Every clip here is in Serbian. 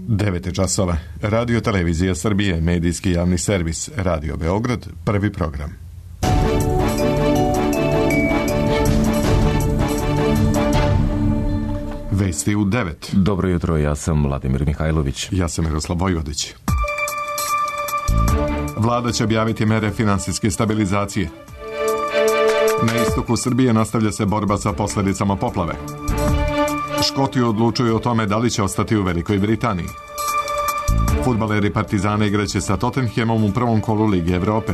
9 časova. Radio Televizija Srbije, medijski javni servis, Radio Beograd, prvi program. Vesti u 9. Dobro jutro, ja sam Vladimir Mihajlović. Ja sam Miroslav Vojvodić. Vlada će objaviti mere finansijske stabilizacije. Na istoku Srbije nastavlja se borba sa posljedicama poplave. Škoti odlučuju o tome da li će ostati u Velikoj Britaniji. Fudbaleri Partizana igraće sa Tottenhamom u prvom kolu Lige Evrope.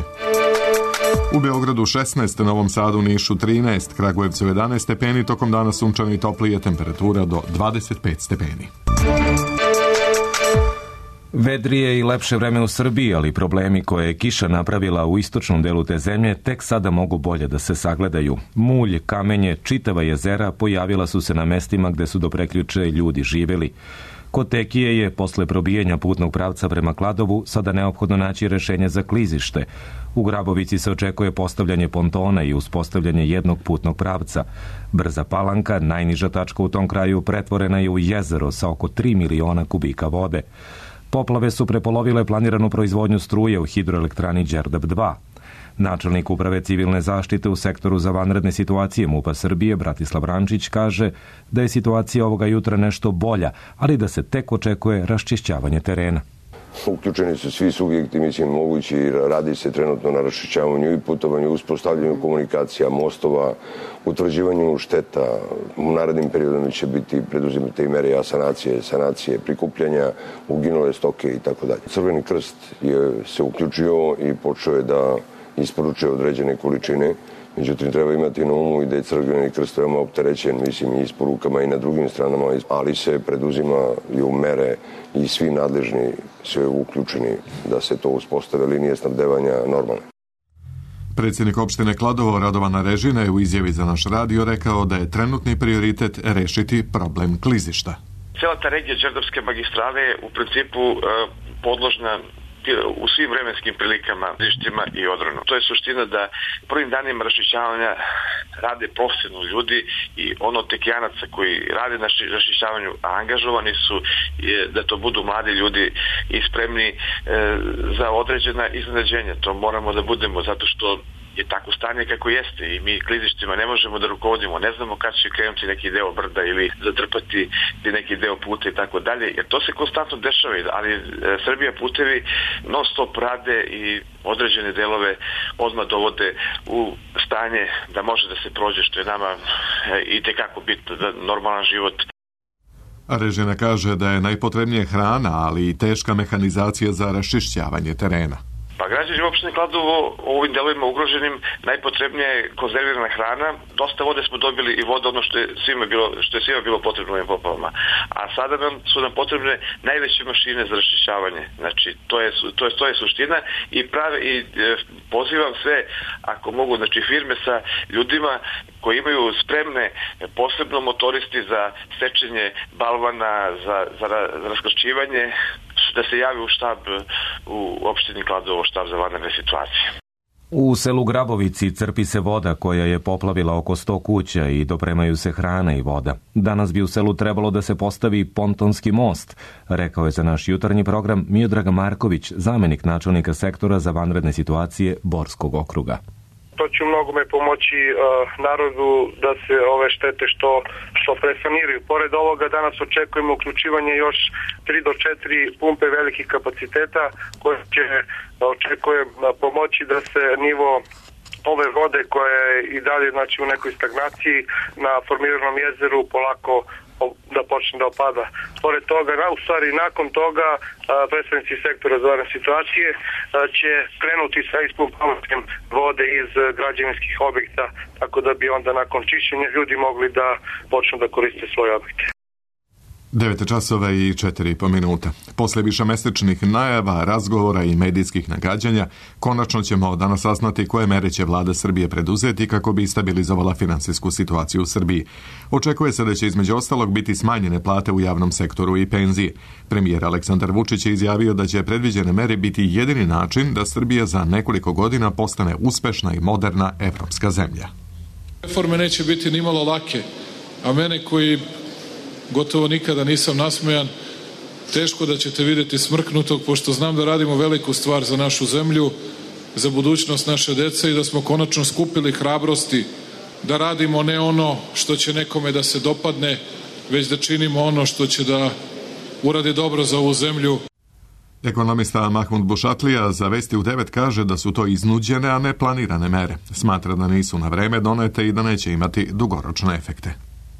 U Beogradu 16, Novom Sadu, Nišu 13, Kragujevcu 11 stepeni, tokom dana sunčano i toplije, temperatura do 25 stepeni. Vedrije i lepše vreme u Srbiji, ali problemi koje je kiša napravila u istočnom delu te zemlje tek sada mogu bolje da se sagledaju. Mulj, kamenje, čitava jezera pojavila su se na mestima gde su do prekjuče ljudi živeli. Kod Tekije je, posle probijanja putnog pravca prema Kladovu, sada neophodno naći rešenje za klizište. U Grabovici se očekuje postavljanje pontona i uspostavljanje jednog putnog pravca. Brza Palanka, najniža tačka u tom kraju, pretvorena je u jezero sa oko 3 miliona kubika vode. Poplave su prepolovile planiranu proizvodnju struje u hidroelektrani Đerdap 2. Načelnik uprave civilne zaštite u sektoru za vanredne situacije MUP-a Srbije, Bratislav Rančić, kaže da je situacija ovoga jutra nešto bolja, ali da se tek očekuje raščišćavanje terena. Uključeni su svi subjekti, mislim, mogući, radi se trenutno na raščišćavanju i putovanju, uspostavljanju komunikacija, mostova, utvrđivanju šteta. U narednim periodima će biti preduzimate i mere sanacije, prikupljanja uginule stoke i tako dalje. Crveni krst se uključio i počeo je da isporučuje određene količine. Međutim, treba imati na umu i da je Crveni krst veoma opterećen, mislim, i isporukama i na drugim stranama, ali se preduzimaju mere i svi nadležni sve uključeni da se to uspostave linije snabdevanja normalne. Predsjednik opštine Kladovo Radovan Arežina je u izjavi za naš radio rekao da je trenutni prioritet rešiti problem klizišta. Cijela ta regija Đerdapske magistrale je u principu podložna u svim vremenskim prilikama, klizištima i odronu. To je suština da prvim danima raščišćavanja rade profesionalni ljudi i ono tekijanaca koji rade na raščišćavanju, a angažovani su da to budu mladi ljudi i spremni za određena iznenađenja. To moramo da budemo zato što je tako stanje kako jeste i mi klizištima ne možemo da rukovodimo, ne znamo kad će krenuti neki deo brda ili zatrpati neki deo puta i tako dalje, jer to se konstantno dešava, ali Srbija putevi non stop rade i određene delove odmah dovode u stanje da može da se prođe, što je nama i tekako bitno za normalan život. Arežina kaže da je najpotrebnije hrana, ali i teška mehanizacija za raščišćavanje terena. Pa građani opštine Kladovo u ovim delovima ugroženim najpotrebnija je konzervirana hrana. Dosta vode smo dobili i voda, ono što je svima bilo potrebno u ovim poplavama. A sada su nam potrebne najveće mašine za raščišćavanje. Znači, to je suština i pozivam sve, ako mogu, znači firme sa ljudima koji imaju spremne, posebno motoristi za sečenje balvana, za raskršćivanje, da se javi u štab u opštini Kladovo, štab za vanredne situacije. U selu Grabovici crpi se voda koja je poplavila oko 100 kuća i dopremaju se hrana i voda. Danas bi u selu trebalo da se postavi pontonski most, rekao je za naš jutarnji program Miodrag Marković, zamenik načelnika sektora za vanredne situacije Borskog okruga. To će mnogome pomoći narodu da se ove štete što presaniraju. Pored ovoga danas očekujemo uključivanje još 3 do 4 pumpe velikih kapaciteta koje će očekujem pomoći da se nivo ove vode koja je i dalje znači u nekoj stagnaciji na formiranom jezeru polako da počne da opada. Pored toga, u stvari nakon toga predstavnici sektora za vanredne situacije će krenuti sa ispumpavanjem vode iz građevinskih objekta, tako da bi onda nakon čišćenja ljudi mogli da počnu da koriste svoje objekte. 9 časova i 4,5 minuta. Posle višemesečnih najava, razgovora i medijskih nagađanja, konačno ćemo danas saznati koje mere će vlada Srbije preduzeti kako bi stabilizovala finansijsku situaciju u Srbiji. Očekuje se da će između ostalog biti smanjene plate u javnom sektoru i penzije. Premijer Aleksandar Vučić je izjavio da će predviđene mere biti jedini način da Srbija za nekoliko godina postane uspešna i moderna evropska zemlja. Reforme neće biti nimalo lake, a mene koji gotovo nikada nisam nasmejan, teško da ćete vidjeti smrknutog, pošto znam da radimo veliku stvar za našu zemlju, za budućnost naše dece i da smo konačno skupili hrabrosti da radimo ne ono što će nekome da se dopadne, već da činimo ono što će da uradi dobro za ovu zemlju. Ekonomista Mahmud Bušatlija za Vesti u 9 kaže da su to iznuđene, a ne planirane mere. Smatra da nisu na vreme donete i da neće imati dugoročne efekte.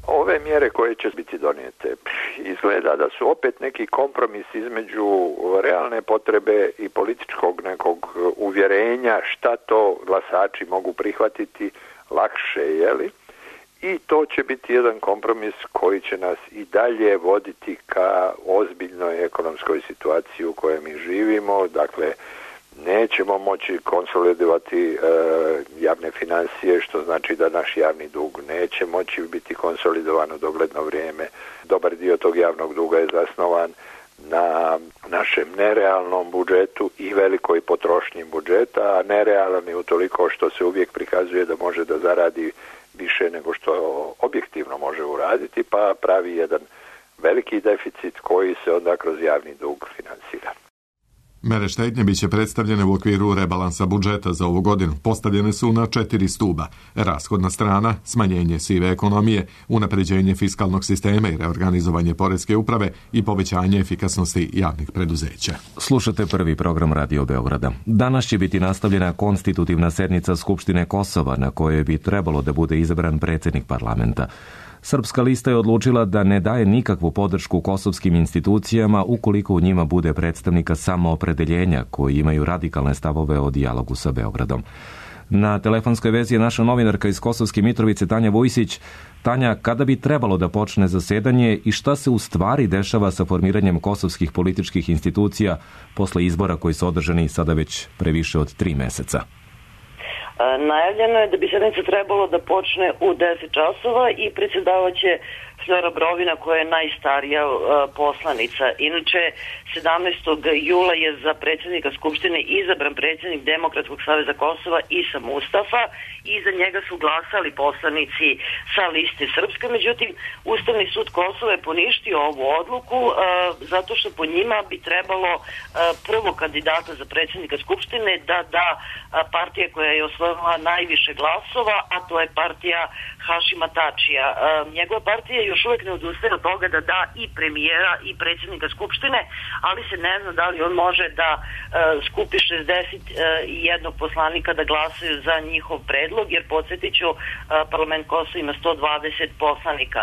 Ove mjere koje će biti donijete izgleda da su opet neki kompromis između realne potrebe i političkog nekog uvjerenja šta to glasači mogu prihvatiti lakše, jeli? I to će biti jedan kompromis koji će nas i dalje voditi ka ozbiljnoj ekonomskoj situaciji u kojoj mi živimo. Dakle, nećemo moći konsolidovati javne financije, što znači da naš javni dug neće moći biti konsolidovan u dogledno vrijeme. Dobar dio tog javnog duga je zasnovan na našem nerealnom budžetu i velikoj potrošnji budžeta, a nerealan je utoliko što se uvijek prikazuje da može da zaradi više nego što objektivno može uraditi, pa pravi jedan veliki deficit koji se onda kroz javni dug finansira. Mere štednje biće predstavljene u okviru rebalansa budžeta za ovu godinu. Postavljene su na 4 stuba. Rashodna strana, smanjenje sive ekonomije, unapređenje fiskalnog sistema i reorganizovanje poreske uprave i povećanje efikasnosti javnih preduzeća. Slušate prvi program Radio Beograda. Danas će biti nastavljena konstitutivna sednica Skupštine Kosova na kojoj bi trebalo da bude izabran predsjednik parlamenta. Srpska lista je odlučila da ne daje nikakvu podršku kosovskim institucijama ukoliko u njima bude predstavnika samoopredeljenja koji imaju radikalne stavove o dijalogu sa Beogradom. Na telefonskoj vezi je naša novinarka iz Kosovske Mitrovice Tanja Vujsić. Tanja, kada bi trebalo da počne zasedanje i šta se u stvari dešava sa formiranjem kosovskih političkih institucija posle izbora koji su održani sada već previše od 3 meseca? Najavljeno je da bi sednica trebalo da počne u 10 časova i predsjedavaće Flora Brovina koja je najstarija poslanica. Inače, 17. jula je za predsjednika Skupštine izabran predsjednik Demokratskog saveza Kosova Isa Mustafa i za njega su glasali poslanici sa liste Srpske. Međutim, Ustavni sud Kosova je poništio ovu odluku zato što po njima bi trebalo prvo kandidata za predsjednika Skupštine da partija koja je osvojila najviše glasova, a to je partija Hašima Tačija. Njegova partija još uvijek ne odustaje od toga da da i premijera i predsjednika Skupštine, ali se ne zna da li on može da skupi 61 poslanika da glasaju za njihov predlog, jer podsjetit ću, parlament Kosova ima 120 poslanika.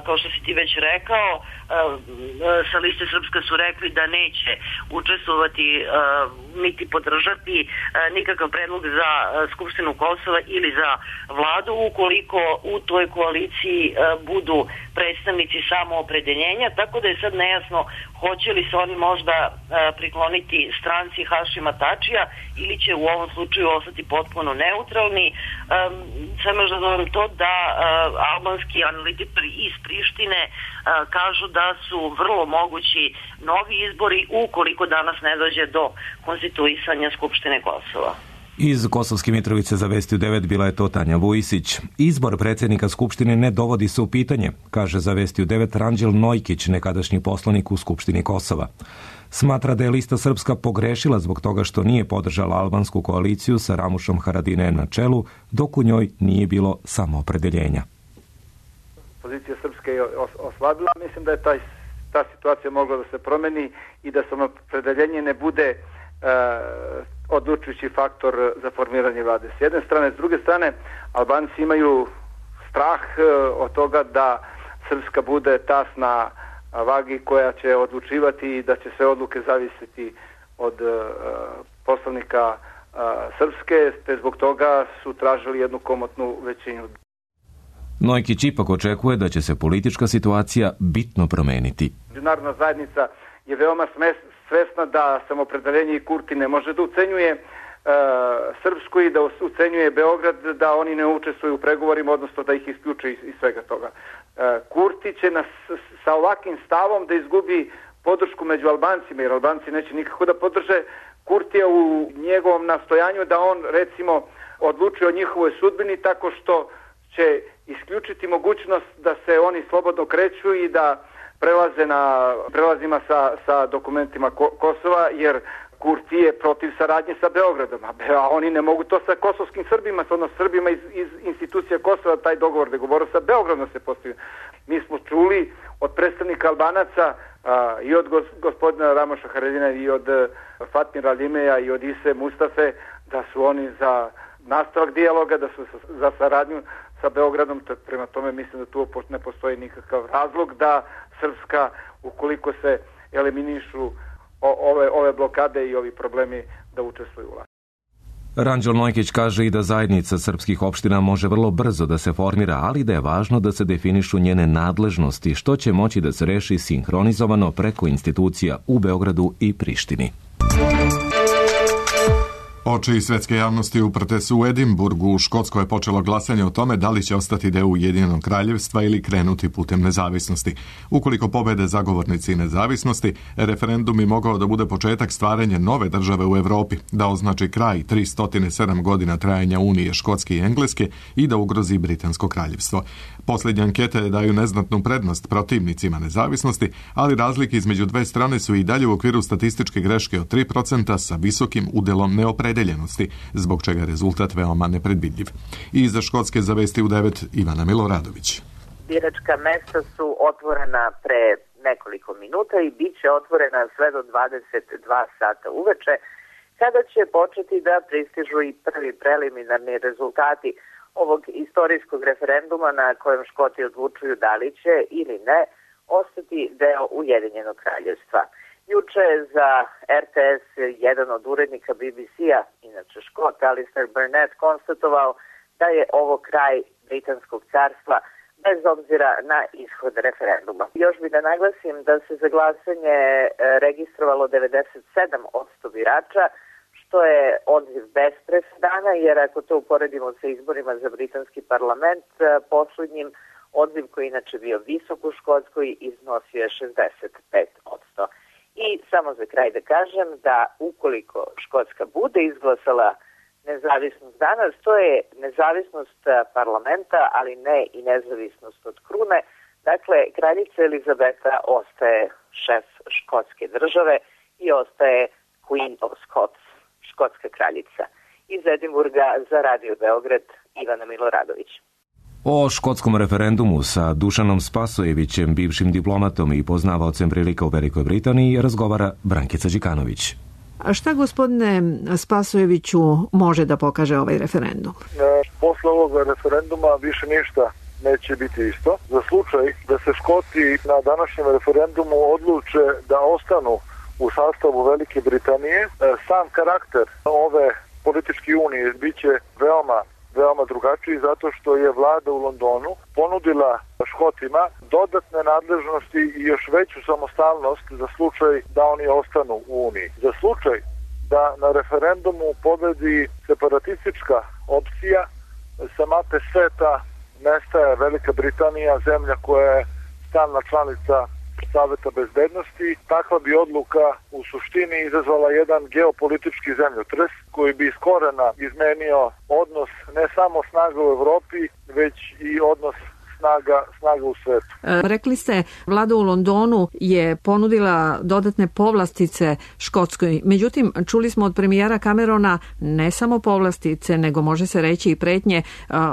Kao što si ti već rekao, sa liste Srpska su rekli da neće učestvovati niti podržati nikakav predlog za Skupštinu Kosova ili za vladu ukoliko u toj koaliciji budu predstavnici samoopredeljenja, tako da je sad nejasno hoće li se oni možda prikloniti stranci Hašima Tačija ili će u ovom slučaju ostati potpuno neutralni. Samo još da dodam to da albanski analitičari iz Prištine kažu da su vrlo mogući novi izbori ukoliko danas ne dođe do konstituisanja Skupštine Kosova. Iz Kosovske Mitrovice za Vesti u 9 bila je to Tanja Vujsić. Izbor predsjednika Skupštine ne dovodi se u pitanje, kaže za Vesti u 9 Ranđel Nojkić, nekadašnji poslanik u Skupštini Kosova. Smatra da je lista Srpska pogrešila zbog toga što nije podržala albansku koaliciju sa Ramušom Haradinajem na čelu, dok u njoj nije bilo samoopredeljenja. Pozicija Srpske je oslabila. Mislim da je ta situacija mogla da se promeni i da samoopredeljenje ne bude odlučujući faktor za formiranje vlade. S jedne strane, s druge strane, Albanci imaju strah od toga da Srpska bude tas na vagi koja će odlučivati i da će sve odluke zavisiti od poslanika Srpske, te zbog toga su tražili jednu komotnu većinu. Nojkić ipak očekuje da će se politička situacija bitno promeniti. Međunarodna zajednica je veoma svesna da samoopredeljenje i Kurti ne može da ucenjuje Srpsku i da ucenjuje Beograd da oni ne učestvuju u pregovorima, odnosno da ih isključe iz svega toga. Kurti će sa ovakvim stavom da izgubi podršku među Albancima, jer Albanci neće nikako da podrže Kurtija u njegovom nastojanju da on, recimo, odlučuje o njihovoj sudbini tako što će isključiti mogućnost da se oni slobodno kreću i da prelaze na prelazima sa dokumentima Kosova, jer Kurti je protiv saradnje sa Beogradom, a oni ne mogu to sa kosovskim Srbima, odnosno Srbima iz institucija Kosova, taj dogovor sa Beogradom se postavio. Mi smo čuli od predstavnika Albanaca i od gospodina Ramoša Haradina i od Fatmira Limeja i od Ise Mustafe da su oni za nastavak dijaloga, da su za saradnju sa Beogradom. Prema tome mislim da tu ne postoji nikakav razlog da Srpska, ukoliko se eliminišu ove blokade i ovi problemi, da učestvuju u vlasti. Ranđel Nojkić kaže i da zajednica srpskih opština može vrlo brzo da se formira, ali da je važno da se definišu njene nadležnosti, što će moći da se reši sinhronizovano preko institucija u Beogradu i Prištini. Oči svetske javnosti uprte su u Edinburgu. U Škotskoj je počelo glasanje o tome da li će ostati deo Ujedinjenog kraljevstva ili krenuti putem nezavisnosti. Ukoliko pobede zagovornici nezavisnosti, referendum bi mogao da bude početak stvaranja nove države u Evropi, da označi kraj 307 godina trajanja Unije Škotske i Engleske i da ugrozi Britansko kraljevstvo. Posljednje ankete daju neznatnu prednost protivnicima nezavisnosti, ali razlike između dve strane su i dalje u okviru statističke greške od 3% sa visokim udelom neopredeljenosti, zbog čega je rezultat veoma nepredvidljiv. I iza Škotske za vesti u 9 Ivana Miloradović. Biračka mesta su otvorena pre nekoliko minuta i bit će otvorena sve do 22 sata uveče, kada će početi da pristižu i prvi preliminarni rezultati ovog istorijskog referenduma na kojem Škoti odlučuju da li će ili ne ostati deo Ujedinjenog kraljevstva. Juče je za RTS jedan od urednika BBC-a, inače Škot, Alistair Burnett, konstatovao da je ovo kraj Britanskog carstva bez obzira na ishod referenduma. Još bi da naglasim da se za glasanje registrovalo 97% birača, što je odziv bez presedana, jer ako to uporedimo sa izborima za britanski parlament, poslednjim odziv koji inače bio visok u Škotskoj iznosio je 65%. I samo za kraj da kažem da ukoliko Škotska bude izglasala nezavisnost danas, to je nezavisnost parlamenta, ali ne i nezavisnost od krune. Dakle, kraljica Elizabeta ostaje šef škotske države i ostaje Queen of Scots, škotska kraljica. Iz Edinburga za Radio Beograd, Ivana Miloradović. O škotskom referendumu sa Dušanom Spasojevićem, bivšim diplomatom i poznavaocem prilika u Velikoj Britaniji, razgovara Brankica Đikanović. A šta, gospodine Spasojeviću, može da pokaže ovaj referendum? Posle ovog referenduma više ništa neće biti isto. Za slučaj da se Škoti na današnjem referendumu odluče da ostanu u sastavu Velike Britanije, sam karakter ove političke unije biće veoma drugačiji, zato što je vlada u Londonu ponudila Škotima dodatne nadležnosti i još veću samostalnost za slučaj da oni ostanu u Uniji. Za slučaj da na referendumu pobedi separatistička opcija, sa mape sveta nestaje Velika Britanija, zemlja koja je stalna članica Saveta bezbednosti. Takva bi odluka u suštini izazvala jedan geopolitički zemljotres koji bi iz korena izmenio odnos ne samo snaga u Evropi, već i odnos snaga u svetu. Rekli ste, vlada u Londonu je ponudila dodatne povlastice Škotskoj. Međutim, čuli smo od premijera Camerona ne samo povlastice, nego može se reći i pretnje,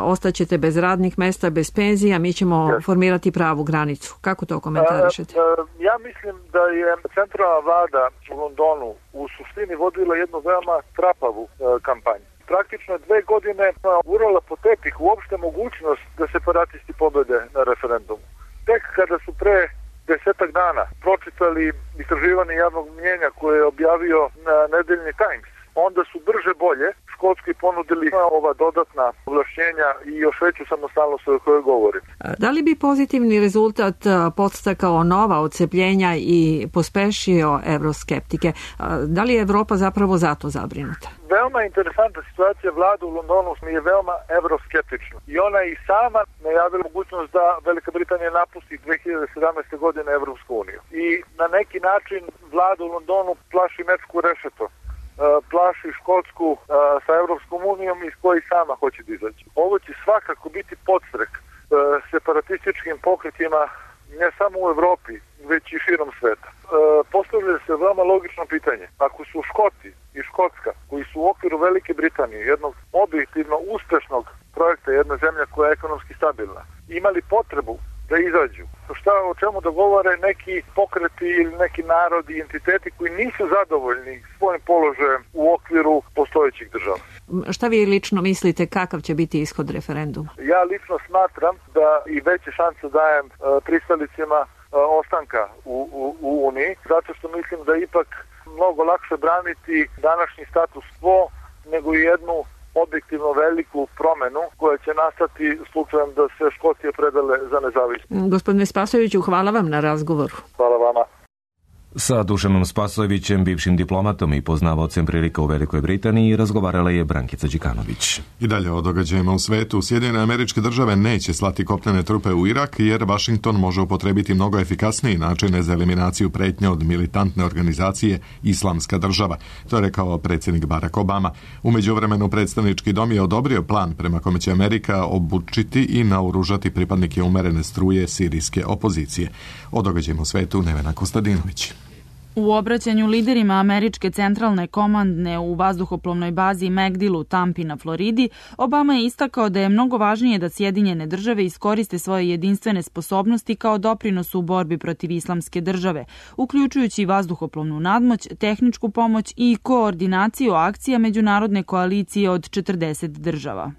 ostaćete bez radnih mesta, bez penzija, mi ćemo formirati pravu granicu. Kako to komentarišete? Ja mislim da je centralna vlada u Londonu u suštini vodila jednu veoma trapavu kampanju. Praktično 2 godine urala po tepih uopšte mogućnost da separatisti pobede na referendumu. Tek kada su pre 10 dana pročitali istraživanje javnog mnjenja koje je objavio nedeljni Times, onda su brže bolje Škotskoj ponudili ova dodatna ovlašćenja i još veću samostalnost o kojoj govorim. Da li bi pozitivni rezultat podstakao nova odcepljenja i pospešio evroskeptike? Da li je Evropa zapravo zato zabrinuta? Veoma interesantna situacija, vlada u Londonu je veoma evroskeptična i ona i sama najavila mogućnost da Velika Britanija napusti 2017. godine Evropsku uniju. I na neki način vlada u Londonu plaši mečku rešeto, plaši Škotsku sa Evropskom unijom iz koji sama hoće da izaći. Ovo će svakako biti podstrek separatističkim pokretima ne samo u Evropi, moći širom sveta. Postavlja se veoma logično pitanje. Ako su Škoti i Škotska, koji su u okviru Velike Britanije, jednog objektivno uspešnog projekta, jedna zemlja koja je ekonomski stabilna, imali potrebu da izađu, o čemu dogovore neki pokreti ili neki narodi i entiteti koji nisu zadovoljni svojim položajem u okviru postojećih država. Šta vi lično mislite, kakav će biti ishod referenduma? Ja lično smatram da i veće šanse dajem pristalicima ostanka u Uniji, zato što mislim da ipak mnogo lakše braniti današnji status quo nego i jednu objektivno veliku promenu koja će nastati slučajem da se Škotije predale za nezavisnost. Gospodine Spasojeviću, hvala vam na razgovoru. Hvala vama. Sa Dušanom Spasojevićem, bivšim diplomatom i poznavalcem prilika u Velikoj Britaniji, razgovarala je Brankica Đikanović. I dalje o događajima u svetu. Sjedinjene Američke Države neće slati kopnene trupe u Irak jer Vašington može upotrebiti mnogo efikasniji načine za eliminaciju pretnja od militantne organizacije Islamska država. To je rekao predsjednik Barack Obama. U međuvremenu predstavnički dom je odobrio plan prema kome će Amerika obučiti i naoružati pripadnike umerene struje sirijske opozicije. O događajima u svetu Nevena Kostadinović. U obraćanju liderima američke centralne komandne u vazduhoplovnoj bazi MacDill u Tampi na Floridi, Obama je istakao da je mnogo važnije da Sjedinjene države iskoriste svoje jedinstvene sposobnosti kao doprinos u borbi protiv Islamske države, uključujući vazduhoplovnu nadmoć, tehničku pomoć i koordinaciju akcija međunarodne koalicije od 40 država.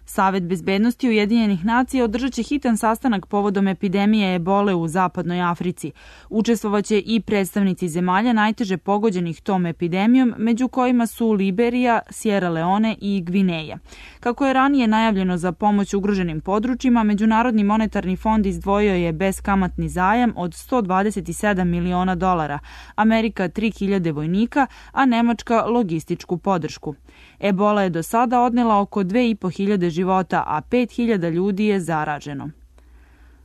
Savet bezbednosti Ujedinjenih nacija održat će hitan sastanak povodom epidemije ebole u zapadnoj Africi. Učestvovaće i predstavnici zemalja najteže pogođenih tom epidemijom, među kojima su Liberija, Sierra Leone i Gvineja. Kako je ranije najavljeno za pomoć ugroženim područjima, Međunarodni monetarni fond izdvojio je beskamatni zajam od $127 miliona, Amerika 3.000 vojnika, a Nemačka logističku podršku. Ebola je do sada odnela oko 2.500 života, a 5.000 ljudi je zaraženo.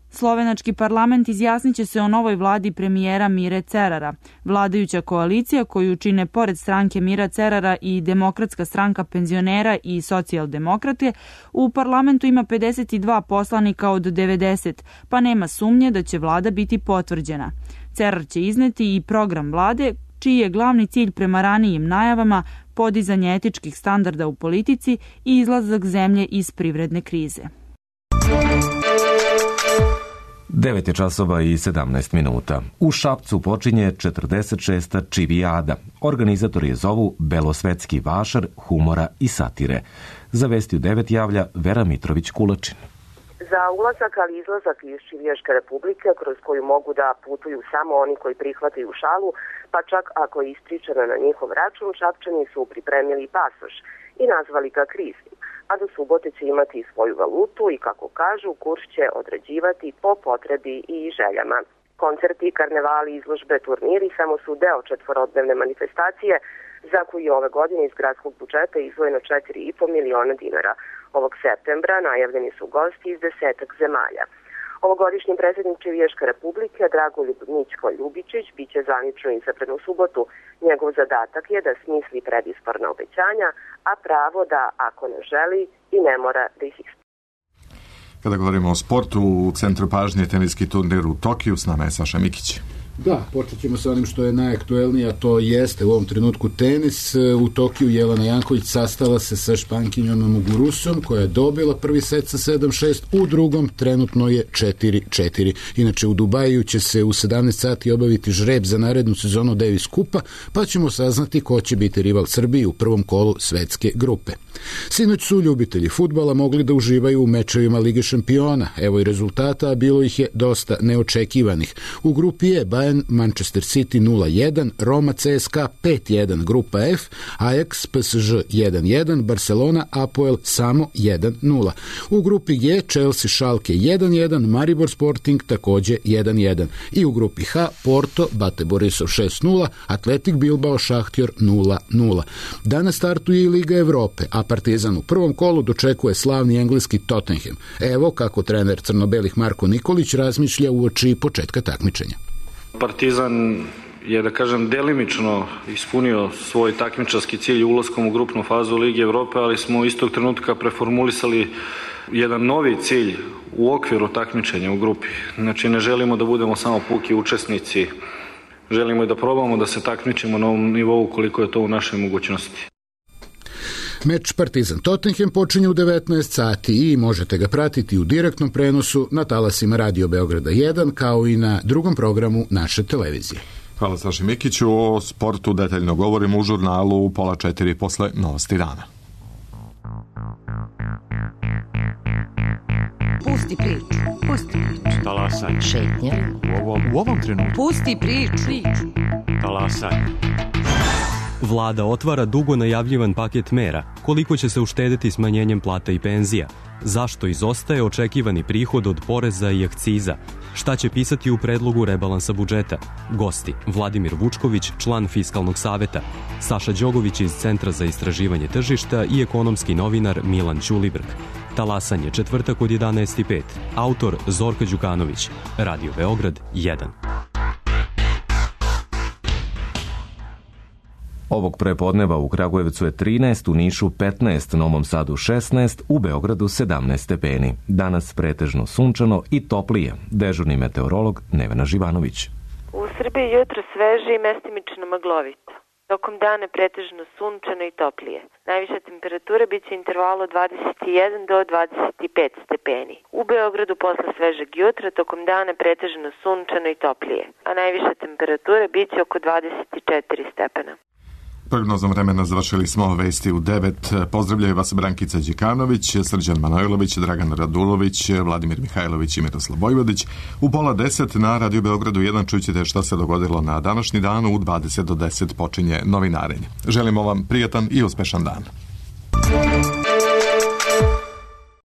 Slovenački parlament izjasnit će se o novoj vladi premijera Mire Cerara. Vladajuća koalicija koju čine pored stranke Mira Cerara i Demokratska stranka penzionera i socijaldemokrate u parlamentu ima 52 poslanika od 90, pa nema sumnje da će vlada biti potvrđena. Cerar će izneti i program vlade, čiji je glavni cilj prema ranijim najavama podizanje etičkih standarda u politici i izlazak zemlje iz privredne krize. 9 časova i 17 minuta. U Šapcu počinje 46. Čivijada. Organizatori je zovu belosvetski vašar humora i satire. Za Vesti u 9 javlja Vera Mitrović-Kulačin. Za ulazak, ali izlazak iz Čivijaške republike, kroz koju mogu da putuju samo oni koji prihvataju šalu, pa čak ako je ispričano na njihov račun, Šapčani su pripremili pasoš i nazvali ga kriznim, a do subote će imati svoju valutu i, kako kažu, kurs će određivati po potrebi i željama. Koncerti, karnevali, izložbe, turniri samo su deo 4-dnevne manifestacije za koju je ove godine iz gradskog budžeta izdvojeno 4,5 miliona dinara. Ovog septembra najavljeni su gosti iz 10 zemalja. Ovogodišnji predsjednik Čivijaške republike Dragoljub Mićko Ljubičić biće zvanično izabran u subotu. Njegov zadatak je da smisli predizborna obećanja, a pravo da, ako ne želi, i ne mora da ih ispuni. Kada govorimo o sportu, u centru pažnje teniski turnir u Tokiju, s nama je Saša Mikić. Da, počet ćemo sa onim što je najaktuelnije, a to jeste u ovom trenutku tenis. U Tokiju Jelena Janković sastala se sa Špankinjom Mugurusom, koja je dobila prvi set sa 7-6, u drugom trenutno je 4-4. Inače, u Dubaju će se u 17 sati obaviti žreb za narednu sezonu Davis Kupa, pa ćemo saznati ko će biti rival Srbiji u prvom kolu svetske grupe. Sinoć su ljubitelji fudbala mogli da uživaju u mečevima Lige šampiona. Evo i rezultata, a bilo ih je dosta neočekivanih. U grupi je Bayern Manchester City 0-1, Roma CSKA 5-1, grupa F, Ajax PSG 1-1, Barcelona Apoel samo 1-0. U grupi G Chelsea Schalke 1-1, Maribor Sporting takođe 1-1. I u grupi H Porto Bate Borisov 6-0, Atletik Bilbao Šahtjor 0-0. Danas startuje i Liga Evrope, a Partizan u prvom kolu dočekuje slavni engleski Tottenham. Evo kako trener crno-belih Marko Nikolić razmišlja uoči početka takmičenja. Partizan je, da kažem, delimično ispunio svoj takmičarski cilj ulaskom u grupnu fazu Lige Evrope, ali smo istog trenutka preformulisali jedan novi cilj u okviru takmičenja u grupi. Znači, ne želimo da budemo samo puki učesnici, želimo i da probamo da se takmičimo na ovom nivou koliko je to u našoj mogućnosti. Meč Partizan-Tottenham počinje u 19 sati i možete ga pratiti u direktnom prenosu na talasima Radio Beograda 1 kao i na drugom programu naše televizije. Hvala Saši Mikiću. O sportu detaljno govorimo u žurnalu u 3:30 posle Novosti dana. Pusti priču. Pusti priču. Talasaj. Šetnja. U ovom trenutku. Pusti priču. Talasaj. Vlada otvara dugo najavljivan paket mera. Koliko će se uštedeti smanjenjem plata i penzija? Zašto izostaje očekivani prihod od poreza i akciza? Šta će pisati u predlogu rebalansa budžeta? Gosti: Vladimir Vučković, član Fiskalnog saveta, Saša Đogović iz Centra za istraživanje tržišta i ekonomski novinar Milan Ćulibrk. Talasanje, četvrtak od 11:05. Autor Zorka Đukanović. Radio Beograd 1. Ovog prepodneva u Kragujevcu je 13, u Nišu 15, Novom Sadu 16, u Beogradu 17 stepeni. Danas pretežno sunčano i toplije. Dežurni meteorolog Nevena Živanović. U Srbiji jutro sveže i mestimično maglovito. Tokom dana pretežno sunčano i toplije. Najviša temperatura biće intervalu 21 do 25 stepeni. U Beogradu posle svežeg jutra tokom dana pretežno sunčano i toplije, a najviša temperatura biće oko 24 stepena. Prognozom vremena završili smo vesti u 9. Pozdravljaju vas Brankica Đikanović, Srđan Manojlović, Dragan Radulović, Vladimir Mihajlović i Miroslav Vojvodić. U 9:30 na Radio Beogradu 1 čućete šta se dogodilo na današnji dan. U 20 do 10 počinje novinarenje. Želimo vam prijatan i uspešan dan.